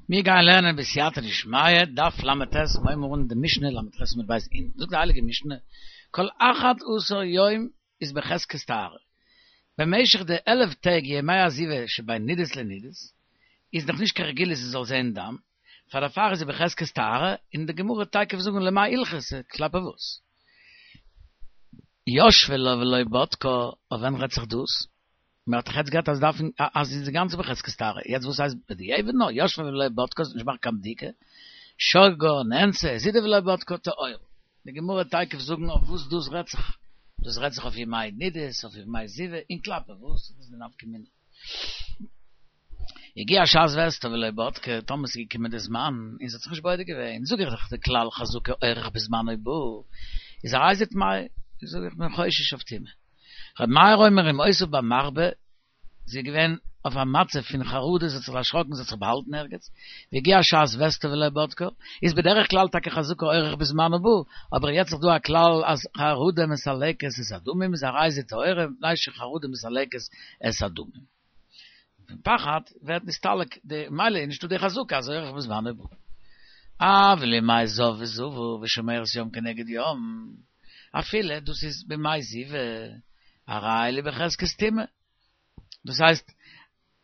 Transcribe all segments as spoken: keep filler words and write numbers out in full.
מיר גייען לערנען בסייעתא דשמיא, דף ל"ט, מיר הייבן אן די משנה ל"ח עמוד ב' אין, זאגט די הייליגע משנה, כל אחד עשר יום איז בחזקת טהרה, במשך די עלף טעג ימי הזיבה שבין נידות לנידות, איז נאך נישט קיין רגילות זי זאל זען דם, פאר דערפאר איז זי בחזקת טהרה, און די גמרא וועט תיכף זאגן למאי הלכתא, כלפי וואס? ישבה לה ולא בדקה, אויף ווען רעדט זיך דאס? מען האט דאך יעצט געהאט אז דארפן אז זי איז אינגאנצן בחזקת טהרה, יעצט וואס הייסט בדיעבד נאר ישבה ולא בדקה זי האט נישט געמאכט קיין בדיקה, שגגה נאנסה הזידה ולא בדקה טהורה. די גמרא וועט תיכף זאגן אויף וואס דאס רעדט זיך, דאס רעדט זיך אויף ימי נידות, אויף ימי זיבה, און כלפי וואס, וואס איז די נפקא מינה? הגיעה שעת וסתה ולא בדקה, טאמער ס'איז געקומען די זמן און זי האט זיך נישט בודק געווען, זאג איך דאך די כלל חזקה אורח בזמנו בא, איז הרי זו טמאה, זאג איך בין חושש אויף טומאה. ר' מאיר אומר אם היתה במחבא, זי איז געווען אויף א מצב פון חרדה, זי האט זיך דערשראקן, זי האט זיך באהאלטן ערגעץ, והגיעה שעת וסתה ולא בדקה, איז בדרך כלל טאקע חזקה אורח בזמנו בא, אבער יעצט איז דא א כלל אז חרדה מסלקת את הדמים, איז הרי זו טהורה מפני שחרדה מסלקת את הדמים. פון פחד ווערט נסתלק די, ממילא איז נישטא די חזקה אז אורח בזמנו בא. אבל ימי זב וזבה ושומרת יום כנגד יום, אפילו דאס איז בימי זיבה, הרי אלו בחזקת טומאה. דאס הייסט,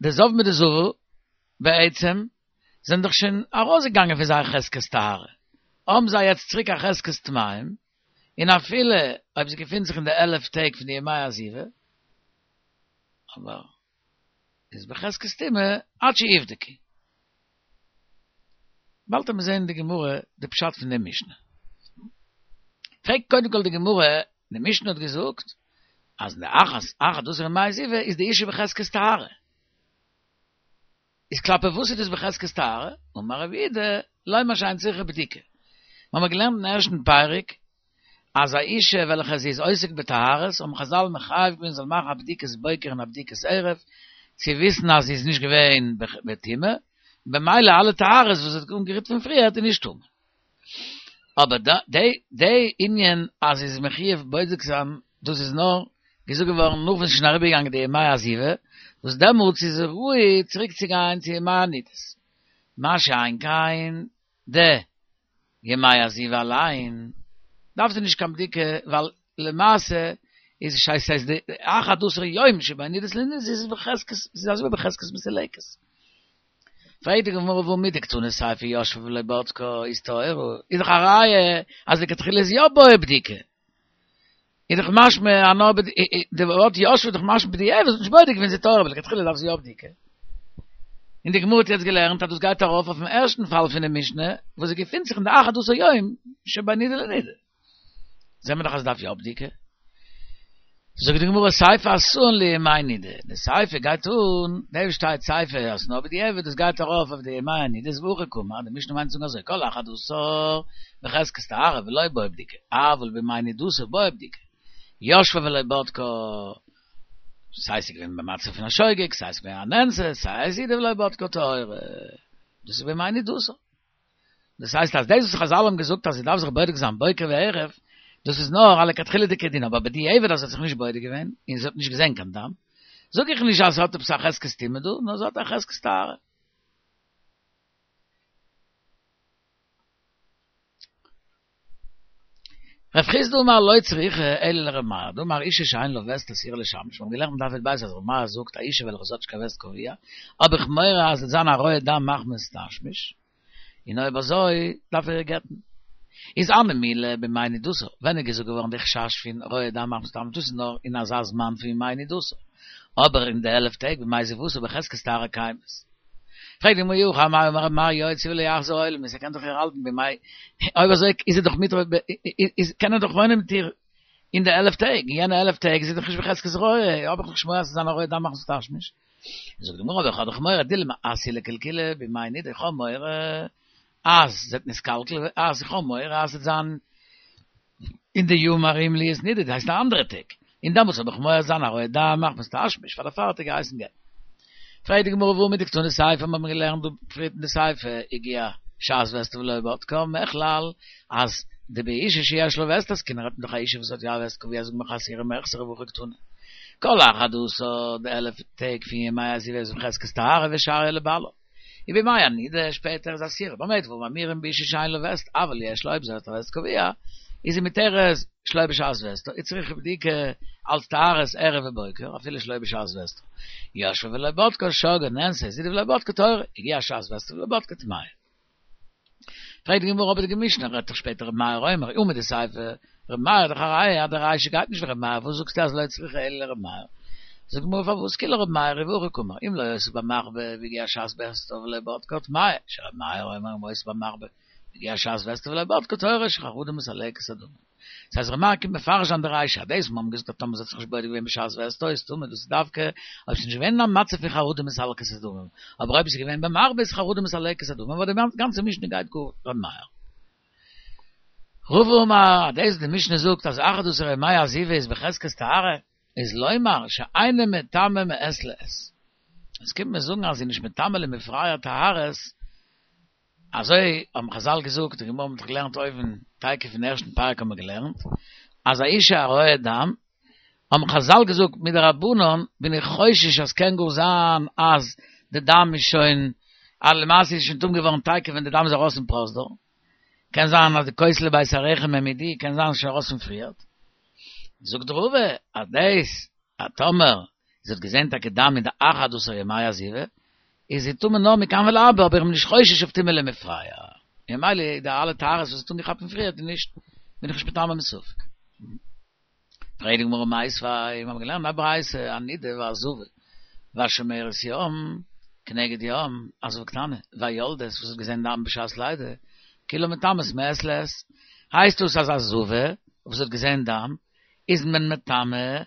די זב מיט די זבה, בעצם, זענען דאך שוין ארויסגעגאנגען פון זייער חזקת טהרה, האבן זיי יעצט צוריק א חזקת טמאים, און אפילו אויב זי געפינט זיך אין די עלף טעג פון די ימי הזיבה, אבער איז בחזקת טומאה עד שיבדקו. באלד וועט מען זען אין די גמרא די פשט פון די משנה. פרעגט קודם כל די גמרא, די משנה האט געזאגט אז די אחת אחד עשר ימי זיבה איז די אישה בחזקת טהרה. איז כלפי וואס איז דאס בחזקת טהרה? אמר רב יהודה, לומר שאין צריכה בדיקה. מיר האבן געלערנט אין ערשטן פרק אז א אישה וועלכע זי איז עוסק בטהרות האבן חזל מחייב געווען זאל מאכן א בדיקת בוקר און א בדיקת ערב צו וויסן אז זי איז נישט געווען בטומאה, במילא אלע טהרות וואס זי האט אנגערירט פון פריערט איז נישט טמא. אבער די די ענין אז זי איז מחויב בודק זיין דאס איז נאר געזאגט געווארן נאך ווען ס'איז שוין אריבערגעגאנגען די ימי הזיבה, וואס דעמאלטס איז ראוי צוריק צו גיין צו ימי הנידות. מה שאין כן די ימי הזיבה אליין דארף זי נישט קיין בדיקה ווייל למעשה איז ס'הייסט ס'איז די אחד עשר יום שבין נידות לנידות איז בחזקת ס'איז אזוי ווי בחזקת מסולקת. פרעגט די גמרא והא מדקתני סיפא ישבה ולא בדקה איז טהורה איז דאך א ראיה אז לכתחילה איז יא בעיא בדיקה. איז דאך משמע אז נאר די ווארט ישבה איז דאך משמע בדיעבד זי האט נישט בודק געווען איז טהורה אבער לכתחילה דארף זי יא בדיקה. און די גמרא האט יעצט געלערנט אז דאס גייט ארויף אויפן ערשטן פאל פון די משנה וואס זי געפינט זיך אין די אחד עשר יום שבין נידה לנידה. זעהן מיר דאך אז עס דארף יא בדיקה. זאגט די גמרא סיפא אתאן לימי נידה, די סיפא גייט אן, דא וואס שטייט סיפא אז נאר בדיעבד דאס גייט ארויף אויף די ימי הנידות והכי קאמר, די משנה מיינט צו זאגן אזוי כל אחד עשר בחזקת טהרה ולא בעיא בדיקה, אבל בימי נידתה בעיא בדיקה, ישבה ולא בדקה, סיי ס'איז געווען במצב פון א שוגג, סיי ס'איז געווען א נאנסה, סיי הזידה ולא בדקה טהורה, דאס איז בימי נידתה. דאס הייסט אז דאס וואס חזל האבן געזאגט אז זי דארף זיך בודק זיין בוקר וערב, דאס איז נאר א לכתחילה'דיגע דין, אבער בדיעבד אז זי האט זיך נישט בודק געווען, און זי האט נישט געזען קיין דם, זאג איך נישט אז זי האט עפעס א חזקת טומאה דא, נאר זי האט א חזקת טהרה. רב חסדא אמר לא צריכא אלא לר' מאיר, דאמר אישה שאין לה וסת אסורה לשמש, מיר האבן געלערנט אין דף י"ב אז ר' מאיר זאגט א אישה וועלכע זי האט נישט קיין וסת קבוע, האב איך מורא אז עס וועט זיין א רואה דם מחמת תשמיש, און אויב אזוי דארף ער איר גט'ן. איז הני מילי בימי נידתה, ווען איז געזאגט געווארן די חשש פון רואה דם מחמת תשמיש, דאס איז נאר אין אזא זמן פון ימי נידתה, אבער אין די עלף טעג בימי זיבתה בחזקת טהרה קיימת. פרעגט די גמרא אי הכי אמאי אמר ר' מאיר יוציא ולא יחזיר עולמית, ער קען דאך איר האלטן בימי, אויב אזוי איז ער דאך מיט, איז קען ער דאך וואוינען מיט איר אין די עלף טעג, אין יענע עלף טעג איז זי דאך נישט בחזקת רואה, האב איך דאך נישט מורא אז ס'זאל זיין א רואה דם מחמת תשמיש. זאגט די גמרא אבער איך האב דאך מורא דילמא אתי לקלקולי בימי נידה, איך האב מורא אז זי וועט נתקלקל, אז איך האב מורא אז ס'וועט זיין אין די ימים הראויים להיות נידה, דאס הייסט די אנדערע טעג, און דעמאלטס האב איך מורא זיין א רואה דם מחמת תשמיש, פאר דערפאר האט ער געהייסן גט'ן. פרעגט די גמרא והא מדקתני סיפא מיר האבן געלערנט דא פריערט אין די סיפא הגיעה שעת וסתה ולא בדקה מכלל אז דבאישה שיש לה וסת עסקינן רעדט מען דאך א אישה וואס האט יא א וסת קבוע זאגט מען אסורה מיחסרא והכי קתני כל אחד עשר די עלף טעג פון ימי הזיבה איז בחזקת טהרה ושריא לבעלה. ובימי הנידה שפעטער איז אסירה. במה דברים אמורים באשה שאין לה וסת, אבל יש לה אויב זי האט א וסת קבוע, איז זי מותרת שלא בשעת וסתה, איז צריכה בדיקה אלס טהרת ערב ובוקר, אפילו שלא בשעת וסתה. ישבה ולא בדקה שגה נאנסה הזידה ולא בדקה טהורה, הגיעה שעת וסתה ולא בדקה טמאה. פרעגט די גמרא אבער די משנה רעדט דאך שפעטער ר' מאיר אומר ומדסיפא ר' מאיר דאך א ראיה אז די רישא גייט נישט ווי ר' מאיר וואס זאגסטו אז לא צריכה אלא לר' מאיר? זאגט די גמרא פארוואס כי לר' מאיר היא והכי קאמר אם לא היתה במחבא והגיעה שעת וסתה ולא בדקה טמאה שר' מאיר אומר אם היתה במחבא והגיעה שעת וסתה ולא בדקה טהורה שחרדה מסלקת הדמים. דאס הייסט ר' מאיר קומט מפרש זיין די רישא אז דאס וואס מיר האבן געזאגט אז טאמער זי האט זיך נישט בודק געווען בשעת וסתה איז טמא דאס איז דווקא אויב ס'איז נישט געווען אין א מצב פון חרדה מסלקת הדמים אבער אויב עס איז געווען במחבא איז חרדה מסלקת הדמים אבער די גאנצע משנה גייט גאר ר' מאיר. רבא אמר אז דאס וואס די משנה זאגט אז אחד עשר ימי הזיבה איז בחזקת טהרה איז לומר שאינה מטמאה מעת לעת. עס קומט מיר זאגן אז זי איז נישט מטמא למפרע טהרות אזוי האבן חזל געזאגט, די גמרא האט דאך געלערנט אויבן, תיכף אין ערשטן פרק האבן מיר געלערנט, אז א אישה הרואה דם, האבן חזל געזאגט מדרבנן בין איך חושש אז קען גאר זיין אז די דם איז שוין, אז למעשה איז שוין טמא געווארן תיכף ווען די דם איז ארויס אין פרוזדור, קען זיין אז די כותלי בית הרחם העמידוה, קען זיין שוין ארויס פון פריערט. זאגט רבא אז דאס אז טאמער זי האט געזען טאקע דם אין די אחד עשר ימי הזיבה, איז זי טמא נאר מכאן ולהבא, אבער איך בין נישט חושש אויף טומאה למפרע. און ממילא די אלע טהרות וואס זי האט אנגעכאפט פון פריערט איז נישט, בין איך נישט מטמא מספק. פרעגט די גמרא מיתיבי, מיר האבן געלערנט א ברייתא, הנידה והזבה והשומרת יום כנגד יום, א זבה קטנה, והיולדת וואס האט געזען דם בשעת לידה, כולן מטמאות מעת לעת, הייסט דאס אז א זבה וואס האט געזען דם איז מען מטמא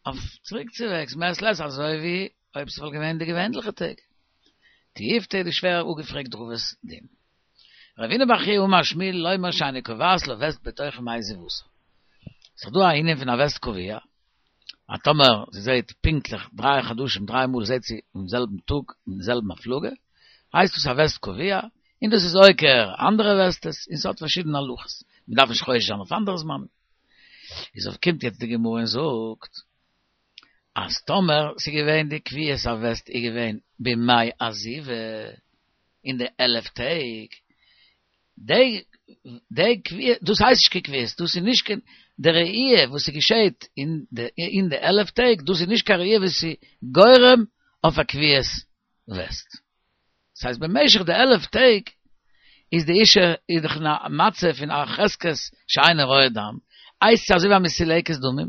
אויף צוריקצווועגס מעת לעת אזוי ווי אויב ס'וואלט געווען די געווענליכע טעג. תיובתא איז שווער אפגעפרעגט רבא'ס דין. רב הונא בר חייא אמר שמואל לומר שאינה קובעת לה וסת בתוך ימי זיבתה. ס'איז דא א ענין פון א וסת קבוע, אז טאמער זי זעהט פונקטליך דריי חדשים דריי מאל זעהט זי אין זעלבן טאג אין זעלבן הפלגה, הייסט דאס א וסת קבוע, און דאס איז עוקר אנדערע וסתות, און ס'האט פארשידענע הלכות, מ'דארף נישט חושש זיין אויף אנדערע זמנים. איז אויף קומט יעצט די גמרא און זאגט אז טאמער ס'איז געווען די קביעות הווסת איז געווען בימי הזיבה אין די עלף טעג, די די קביעות דאס הייסט נישט קיין קביעות דאס איז נישט קיין די ראי' וואס ס'געשעהט אין די אין די עלף טעג דאס איז נישט קיין ראי' וואס איז גורם אויף א קביעות וסת. ס'הייסט במשך די עלף טעג איז די אישה איז דאך אין א מצב פון א חזקת שאינה רואה דם, הייסט עס אזוי ווי א מסולקת דמים,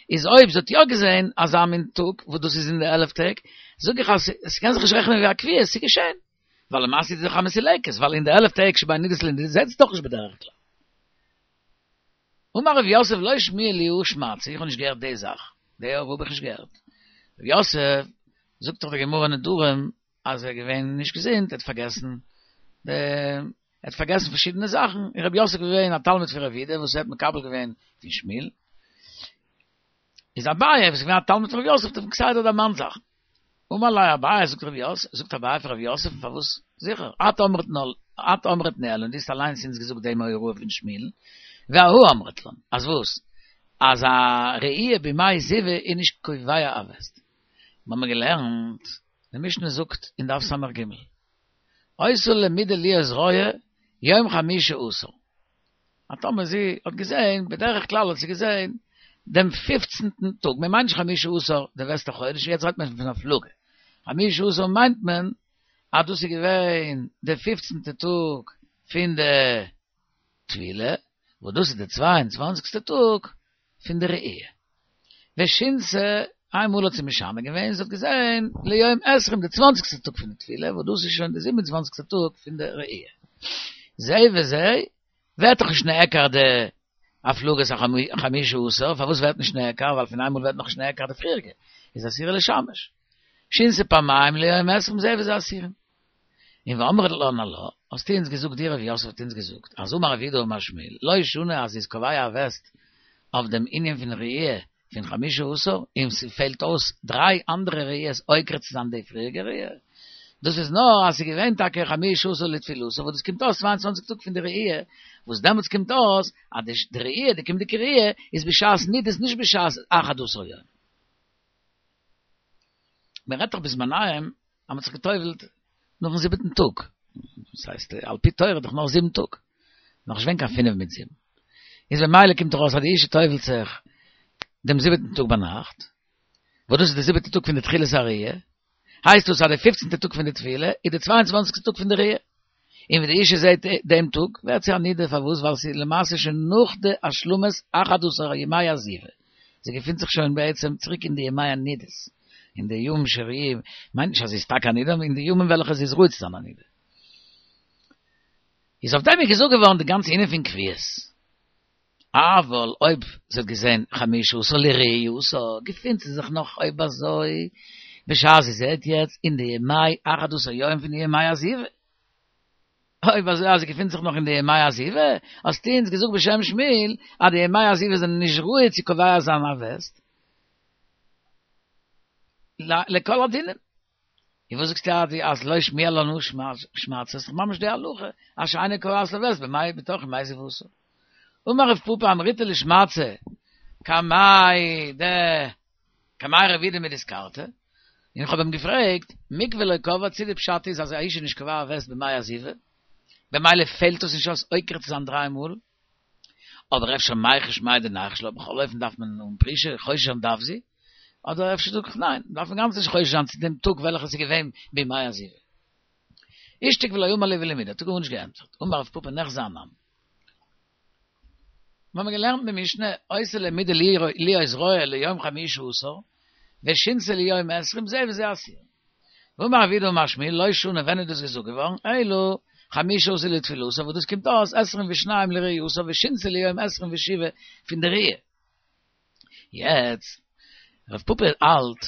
איז אויב זי האט יא געזען אזא מין טאג וואס דאס איז אין די עלף טעג, זאג איך אז ס'קען זיך נישט רעכענען ווי א קביעות, ס'איז געשען, ווייל למעשה איז זי דאך א מסולקת, ווייל אין די עלף טעג שבין נדות לנדות זעט זי דאך נישט בדרך כלל. אמר רב יוסף לא שמיע לי הא שמעתתא, איך האב נישט געהערט די זאך, די הוראה האב איך נישט געהערט. רב יוסף, זאגט דאך די גמרא אין נדרים, אז ער איז געווען נישט געזונט, ער האט פארגעסן די, ער האט פארגעסן פארשידענע זאכן, און רב יוסף איז געווען א תלמיד פון רב יהודה וואס ער האט מקבל געווען פון שמואל, איז אביי וואס איז געווען א תלמיד פון רב יוסף האט אים כסדר דערמאנט זאכן. אמר ליה אביי, זאגט רב יוסף, זאגט אביי פאר רב יוסף, פארוואס זיכער, את אמרת את אמרת ניהלן, דו האסט אליינס אונז געזאגט דעם הוראה פון שמואל, ואהא אמרת לן, אז וואס? אז א ראי' בימי זיבה איז נישט קובע א וסת. מיר האבן געלערנט די משנה זאגט אין דף ס"ג, היתה למידה להיות רואה יום חמישה עשר, אז טאמער זי האט געזען, בדרך כלל האט זי געזען דעם פופצנטן טאג, מען מיינט נישט חמישה עשר די וסת החודש, יעצט רעדט מען פון הפלגה, חמישה עשר מיינט מען אז דאס איז געווען די פופצנטע טאג פון די טבילה, וואס דאס איז די צוויי און צוואנציגסטע טאג פון די ראי'. ושינתה, איין מאל האט זי משנה געווען, זי האט געזען ליום עשרים די צוואנציגסטע טאג פון די טבילה, וואס דאס איז שוין די זיבן און צוואנציגסטע טאג פון די ראי'. זה וזה, ווערט דאך נישט נעקר די הפלגת החמישה עשר, פארוואס ווערט נישט נעקר? ווייל פון איינמאל ווערט נאכנישט נעקר די פריעריגע, איז אסורה לשמש. שינתה פעמיים ליום עשרים זה וזה אסורים. און ואמרת לן עלה, האסטו אונז געזאגט דו רב יוסף האט אונז געזאגט, אז אמר רב יהודה אמר שמואל, לא שנו אז ס'איז קובע א וסת אויף דעם ענין פון ראי' פון חמשה עשר, און ס'פעלט אויס דריי אנדערע ראיות עוקר צו זיין די פריעריגע ראי', דאס איז נאר אז ס'איז געווען טאקע חמשה עשר לטבילתה וואס דאס קומט אויס צוויי און צוואַנציק טאג פון די ראי', וואס דעמאלטס קומט אויס אז די ראי', די קומענדיגע ראי', איז בשעת נידות נישט בשעת אחד עשר יום. מען רעדט דאך בזמניהם אז מען האט זיך גע'טובל'ט נאכן זיבעטן טאג. דאס הייסט, על פי תורה דאך נאך זיבן טאג. נאך נישט געווען קיין פינף מיט זיבן. איז במילא קומט דאך אויס אז די אישה טובל'ט זיך דעם זיבעטן טאג ביינאכט, וואס דאס איז די זיבעטע טאג פון די תחילת הראייה, הייסט דאס אז די פופצנטע טאג פון די טבילה איז די צוויי און צוואנציגסטע טאג פון די ראייה. און ווען די אישה זעט דעם טאג ווערט זי א נידה, פארוואס? ווייל ס'איז למעשה שוין נאך די השלמת אחד עשר ימי הזיבה, זי געפינט זיך שוין בעצם צוריק אין די ימי הנידות, אין די ימים שראויים, מיינט נישט אז זי איז טאקע א נידה, אבער אין די ימים וועלכע זי איז ראוי צו זיין א נידה. איז אויף דעם איז געזאגט געווארן די גאנצע ענין פון קביעות. אבל אויב זי האט געזען חמשה עשר לראייתה, געפינט זי זיך נאך אויב אזוי בשעת זי זעט יעצט אין די ימי אחד עשר יום פון די ימי הזיבה. אויב אזוי אז זי געפינט זיך נאך אין די ימי הזיבה, האסטו אונז געזאגט בשם שמואל אז די ימי הזיבה זענען נישט ראוי צו קובע זיין א וסת לכל הדינים. און וואס זאגסטו אז אז לא שמיע לן הא שמעתתא, ס'איז דאך ממש די הלכה אז שאינה קובעת לה וסת במאי בתוך ימי זיבתה. אמר רב פפא אמריתה לשמעתתא קמיה ד קמיה רב יהודה מדיסקרתא, און איך האב אים געפרעגט, מקוה לא קבעה צו די פשט איז אז א אישה איז נישט קובע וסת בימי הזיבה, במילא פעלט עס נישט אויס עוקר צו זיין דריי מאל, אבער אפשר מיחש מהו דניחוש לה, בכל אופן דארף מען אן פרישה, חושש זיין דארף זי, אדער אפשר זאג איך ניין, דארף מען גאנץ נישט חושש זיין צו דעם טאג וועלכע ס'איז געווען בימי הזיבה. אישתיק ולא אמר לי ולא מידי, האט ער גארנישט געענטפערט, אמר רב פפא נחזי אנן. מיר האבן געלערנט אין משנה, היתה למידה להיות רואה ליום חמישה עשר, ושינתה ליום עשרים זה וזה אסורין. ואמר רב יהודה אמר שמואל, לא שנו ווען איז דאס געזאגט געווארן, אלא חמישה עשר לטבילתה, וואס דאס קומט אויס עשרים ושניים לראייתה ושינתה ליום עשרים ושבעה פון די ראיה. יעצט, רב פפא האלט,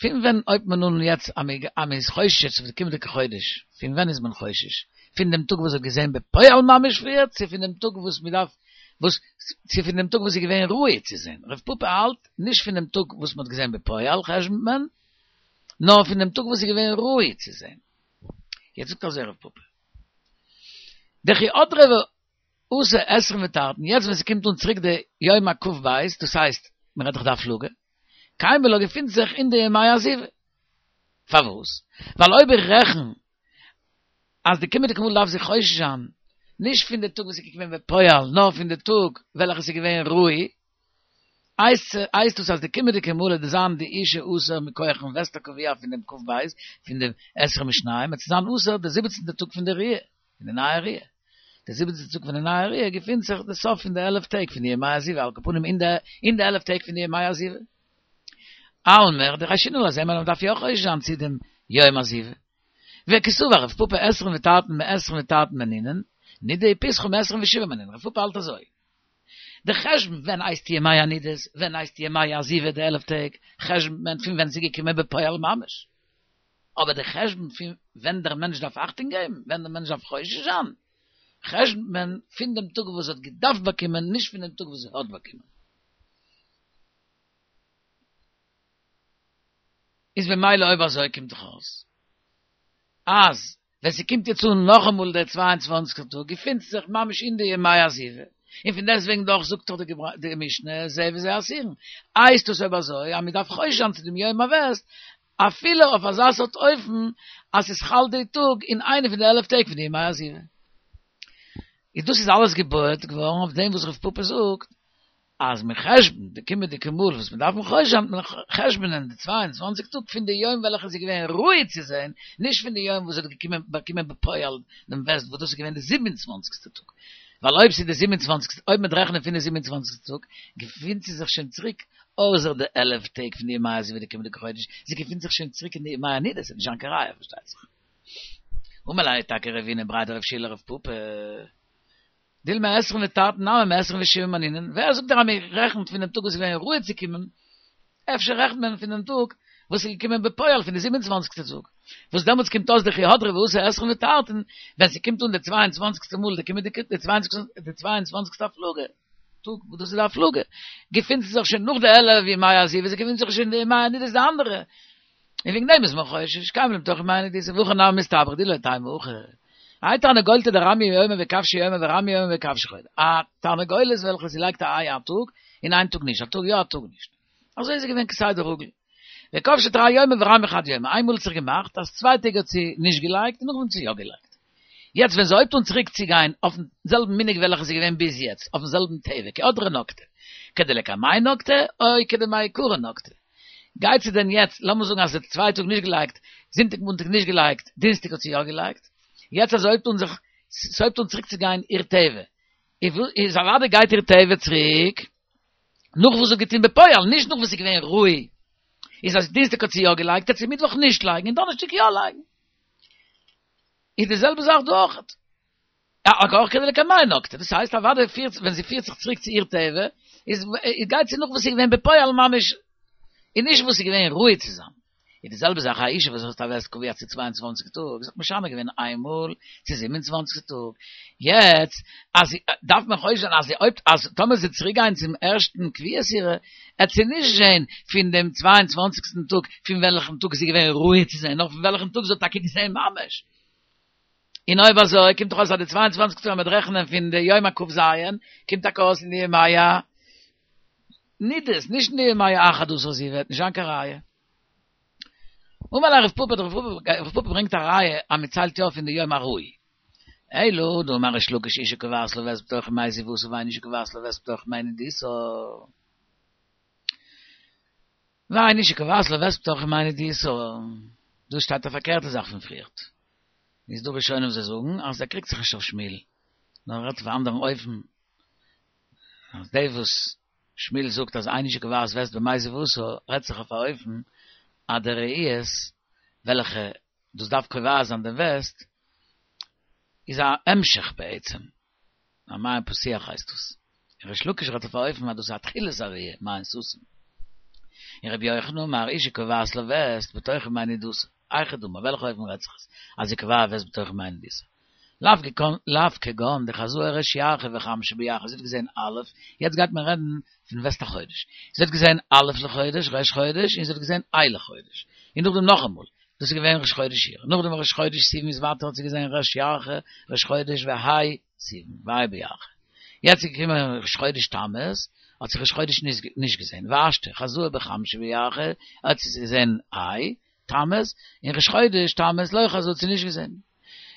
פון ווען הויבט מען אן יעצט אז מען איז חושש אויף די קומענדיגע חודש, פון ווען איז מען חושש? פון דעם טאג וואס האט געזען בפועל ממש פריער, צו פון דעם טאג וואס מען דארף, וואס, צו פון דעם טאג וואס איז געווען ראוי צו זען? רב פפא האלט, נישט פון דעם טאג וואס מען האט געזען בפועל חשבונ'ט מען, נאר פון דעם טאג וואס איז געווען ראוי צו זען. יעצט זאגט אזוי רב פפא, דכי הדרא ואתו עשרין ותרתין, יעצט ווען ס'קומט אן צוריק די יום הכ"ב, דאס הייסט, מען רעדט דאך די הפלגה, קיימא לה געפינט זיך אין די ימי הזיבה. פארוואס? ווייל אויב איך רעכן אז די קומענדיגע מאל דארף זי חושש זיין, נישט פון די טאג וואס איז געקומען בפועל, נאר פון די טאג וועלכע ס'איז געווען ראוי, הייסט דאס אז די קומענדיגע מאל וועט זיין די אישה אסור מכוח'ן וסת הקבוע פון דעם כ"ב, פון די עשרים ושניים, וועט זי זיין אסור די זיבעצנטע טאג פון די ראיה, פון די נייע ראיה. די זיבעצנטע טאג פון די נייע ראיה געפינט זיך די סוף פון די עלף טעג פון די ימי הזיבה, על כל פנים אין די אין די עלף טעג פון די ימי הזיבה. אלמא דחיישינן לה, זעהן מיר אז מ'דארף יא חושש זיין צו דעם יום הזיבה. וקסבר רב פפא עשרין ותרתין מעשרין ותרתין מנינן, נידה ופיסחא מעשרין ושבעה מנינן, רב פפא האלט אזוי. די חשבון ווען הייסט ימי הנידות, ווען הייסט ימי הזיבה די עלף טעג, חשבונ'ט מען פון ווען ס'איז געקומען בפועל ממש. אבער די חשבון פון ווען דער מענטש דארף אכטונג געבן, ווען דער מענטש דארף חושש זיין, חשבונ'ט מען פון דעם טאג וואס האט געדארפט באקומען, נישט פון דעם טאג וואס האט באקומען. איז במילא אויב אזוי קומט דאך אויס אז ווען ס'קומט יעצט אן נאכאמאל דער צוויי און צוואנציגסטער טאג געפינט זיך ממש אין די ימי הזיבה, און פון דעסטוועגן דאך זאגט דאך די משנה זה וזה אסורין, הייסט דאס אויב אזוי אז מ'דארף חושש זיין צו דעם יום הווסת אפילו אויף אזא סארט אופן אז ס'איז חל די טאג אין איינע פון די עלף טעג פון די ימי הזיבה. איז דאס איז אלעס געבויעט געווארן אויף דעם וואס רב פפא זאגט אז מען חשבונ'ט די קומענדיגע מאל וואס מען דארף חושש זיין, מען חשבונ'ען די צוויי און צוואַנציק טאג פון די יום וועלכע איז געווען ראוי צו זען, נישט פון די יום וואס האט געקומען באקומען בפועל דעם וסת וואס דאס איז געווען די זיבן און צוואנציגסטע טאג, ווייל אויב ס'איז די זיבן און צוואנציגסטע, אויב מען רעכנט פון די זיבן און צוואנציגסטע טאג, געפינט זי זיך שוין צוריק אויסער די עלף טעג פון די ימי הזיבה די קומענדיגע חודש, זי געפינט זיך שוין צוריק אין די ימי הנידה, ס'וועט נישט זיין קיין ראיה פארשטייט זיך. אמר ליה טאקע רבינא בריה דרב יהושע לרב פפא. דילמא עשרין ותרתין נמי מעשרין ושבעה מנינן, ווער זאגט דיר אז מען רעכנט פון דעם טאג וואס איז געווען ראוי צו קומען, אפשר רעכנט מען פון דעם טאג וואס איז געקומען בפועל פון די זיבן און צוואנציגסטע טאג, וואס דעמאלטס קומט אויס דכי הדרא ואתו עשרין ותרתין, ווען ס'קומט אן די צוויי און צוואנציגסטע מאל די קומענדיגע די צוויי און צוואנציגסטע הפלגה טאג וואס דאס איז די הפלגה, געפינט זי זיך שוין נאך די עלף ימי הזיבה, זי געפינט זיך שוין אין די ימי הנידות די אנדערע, און וועגן דעם איז מען חושש, קיימא לה בתוך ימי הנידות, והכי נמי מסתברא דאי לא תימא הכי. האי תרנגולתא דרמיא יומא וכבשא יומא ורמיא יומא וכבשא חודשא. א תרנגולת וועלכע זי לייגט א איי א טאג, און איין טאג נישט, א טאג יא א טאג נישט. אזוי איז עס געווען כסדר רגיל. וכבשה תרי יומי ורמי חד יומא, איינמאל האט זיך געמאכט אז צוויי טעג האט זי נישט געלייגט און נאכדעם האט זי יא געלייגט. יעצט ווען זי הויבט אן צוריק צו גיין אויפן זעלבן מנהג וועלכע איז געווען ביז יעצט, אויפן זעלבן טבע, כהדרה נקטה, כדלקמיה נקטה, או כדמעיקרא נקטה. גייט זי דען יעצט, לאמיר זאגן אז זי האט צוויי טאג נישט געלייגט, זונטאג מאנטאג נישט געלייגט, דינסטאג האט זי יא געלייגט, יעצט אז זי הויבט אן זיך, ס'הויבט אן צוריק צו גיין איר טבע, איז אוודאי גייט איר טבע צוריק נאך וואס זי האט געטון בפועל, נישט נאך וואס איז געווען ראוי, איז אז דינסטאג האט זי יא געלייגט, וועט זי מיטוואך נישט לייגן און דאנערשטאג יא לייגן. איז די זעלבע זאך דא אויכעט. אויך כדלקמיה נקטה, דאס הייסט אוודאי פירט ווען זי פירט זיך צוריק צו איר טבע, איז גייט זי נאך וואס איז געווען בפועל ממש, און נישט וואס איז געווען ראוי צו זיין. איז די זעלבע זאך א אישה וואס האט א וסת קבוע צו צוויי און צוואַנציק טאג, זי האט משנה געווען איין מאל צו זיבן און צוואַנציק טאג, יעצט אז זי דארף מען חושש זיין אז זי אויב אז טאמער זי צוריק גיין צום ערשטן קביעות אירע, עט זי נישט זען פון דעם צוויי און צוואַנציקסטן טאג פון וועלכן טאג זי איז געווען ראוי צו זען, נאר פון וועלכן טאג זי האט טאקע געזען ממש. און אויב אזוי קומט דאך אויס אז די צוויי און צוואַנציק טאג אז מ'וועט רעכענען פון די יום הכ"ז קומט טאקע אויס אין די ימי הנידות, נישט אין די ימי האחד עשר זיבה, וועט נישט זיין קיין ראיה. אמר ליה רב פפא, רב פפא ברענגט א ראיה אז מען ציילט יא פון די יום הראוי. אלא דאמר ריש לקיש אשה קובעת לה וסת בתוך ימי זיבתה ואין אשה קובעת לה וסת בתוך ימי נדתה. ואין אשה קובעת לה וסת בתוך ימי נדתה. דא שטייט א פארקערטע זאך פון פריערט. איז דא ראשונים וואס זיי זאגן אז ער קריגט זיך נישט אויף שמואל, נאר ער רעדט אויף א אנדערן אופן, אז דאס וואס שמואל זאגט אז אין אשה קובעת וסת בימי זיבתה רעדט זיך אויף א אופן אז די ראיות וועלכע דאס דארף קובע זיין דעם וסת איז א המשך בעצם, א מעין פתוח הייסט דאס, און ריש לקיש רעדט אויף א אופן אז דאס איז א תחילת הראייה, מעין סתום. און רבי יוחנן אמר אשה קובעת לה וסת בתוך ימי נדתה, היכי דמי, וועלכע אופן רעדט זיך עס אז זי קובע וסת בתוך ימי נדתה? לאו כגון דחזאי ריש ירחא וחמשא בירחא, זי האט געזען א', יעצט גייט מען רעדן פון וסת החודש, זי האט געזען א' לחודש, ראש חודש, און זי האט געזען ה' לחודש, און נאכדעם נאכאמאל, דאס איז געווען ראש חודש אייר, נאכדעם ראש חודש סיוון איז ווייטער האט זי געזען ריש ירחא, ראש חודש וה' סיוון, וה' בירחא. יעצט איז געקומען ראש חודש תמוז, האט זי ראש חודש נישט געזען, והשתא חזאי בחמשא בירחא, האט זי געזען ה' תמוז, און ראש חודש תמוז לא חזאי האט זי נישט געזען.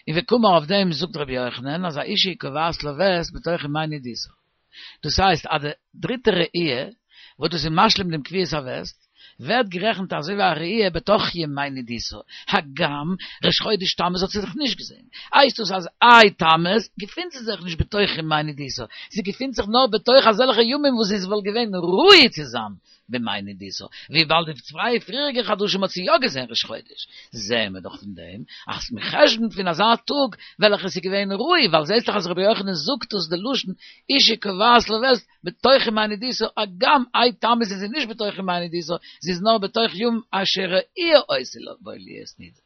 און וקאמר אויף דעם זאגט רבי יוחנן אז א אישה קובעת לה וסת בתוך ימי נדתה. דאס הייסט אז די דריטע ראי' וואס דאס איז משלים דעם קביעות הווסת, ווערט גערעכנט אזוי ווי א ראי' בתוך ימי נדתה, הגם ראש חודש תמוז האט זי זיך נישט געזען, הייסט דאס אז ה' תמוז געפינט זי זיך נישט בתוך ימי נדתה, זי געפינט זיך נאר בתוך אזעלכע ימים וואס זי וואלט געווען ראוי צו זיין בימי נדתה, וויבאלד די צוויי פריעריגע חדשים האט זי יא געזען ראש חודש, זעען מיר דאך פון דעם אז מען חשבונ'ט פון אזא טאג וועלכע עס איז געווען ראוי, ווייל זעסט דאך אז רבי יוחנן זאגט דאס די לשון אישה קובעת לה וסת בתוך ימי נדתה, הגם ה' תמוז איז זי נישט בתוך ימי נדתה, זי איז נאר בתוך יום אשר ראויה היתה בו להיות נידה.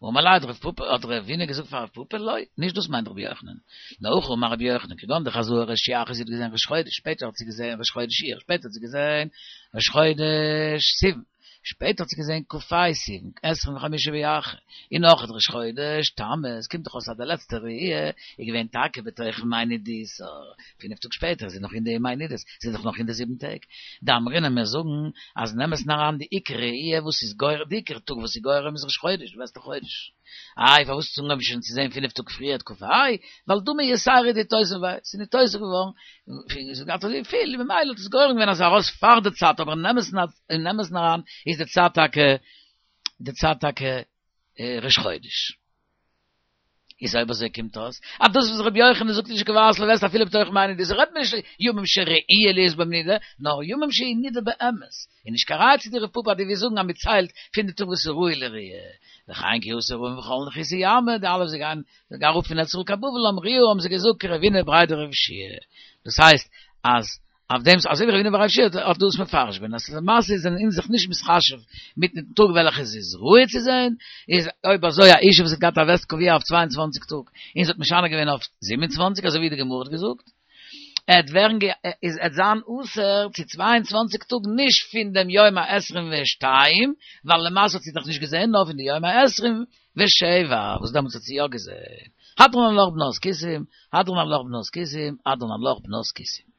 אמר ליה האט רב פפא האט רבינא געזאגט פאר רב פפא לא, נישט דאס מיינט רבי יוחנן, נאר הכי אמר רבי יוחנן כגון דחזאי ריש ירחא זי האט געזען ראש חודש שפעטער האט זי געזען ראש חודש אייר שפעטער האט זי געזען ראש חודש סיוון שפעטער האט זי געזען כ"ה סיוון עשרים וחמישה בירחא און נאך ראש חודש תמוז קומט דאך אויס אז די לעצטע ראי' איז געווען טאקע בתוך ימי נדתה פינף טאג שפעטער איז זי נאך אין די ימי נדות, זי איז דאך נאך אין די זיבן טעג. דאמרינן מיר זאגן אז אין אמת'ן אריין די עיקר ראי' וואס איז גורם, די עיקר טאג וואס איז גורם איז ראש חודש, די וסת החודש. איי פארוואס האט זי אנגעהויבן שוין צו זען פינף טאג פריער כ"ה? ווייל דמי יתירא דאיתותב ביה, ס'איז ניתוסף געווארן, זי האט געהאט אזוי פיל, ממילא האט עס גורם געווען אז ארויס פאר די צייט, אבער אין אמת'ן אריין איז די צייט טאקע, די צייט טאקע ראש חודש. איז אויב אזוי קומט אויס אז דאס וואס רבי יוחנן זאגט אשה קובעת לה וסת אפילו בתוך ימי נדתה רעדט מען נישט ימים שראויה להיות בהם נידה נאר ימים שהיא נידה באמת איז נישט קיין ראיה צו דיר רב פפא אז דו ווילסט זאגן אז מען ציילט פון די טאג וואס איז ראוי לראיה וכן כי אתו רעים וכל נחותא ימא די אלע וואס גייען אראפ פון ארץ ישראל קיין בבל אמרוה האבן זיי געזאגט כרב הונא בריה דרב יהושע דאס הייסט אז אויף דעם אזוי ווי רב הונא בריה דרב יהושע האט דאס מפרש געווען אז למעשה זענען אונז זיך נישט מתחשב מיטן טאג וועלכע עס איז ראוי צו זען, איז אויב אזוי א אישה וואס האט געהאט א וסת קבוע אויף צוויי און צוואַנציק טאג און זי האט משנה געווען אויף זיבן און צוואַנציק אזוי ווי די גמרא האט געזאגט, עט ווערן איז עט זיין אסור צו צוויי און צוואַנציק טאג נישט פון דעם יום העשרים ושתיים ווייל למעשה האט זי דאך נישט געזען נאר פון די יום העשרים ושבע וואס דעמאלטס האט זי יא געזען. הדרן עלך בנות כותים, הדרן עלך בנות כותים, הדרן עלך בנות כותים.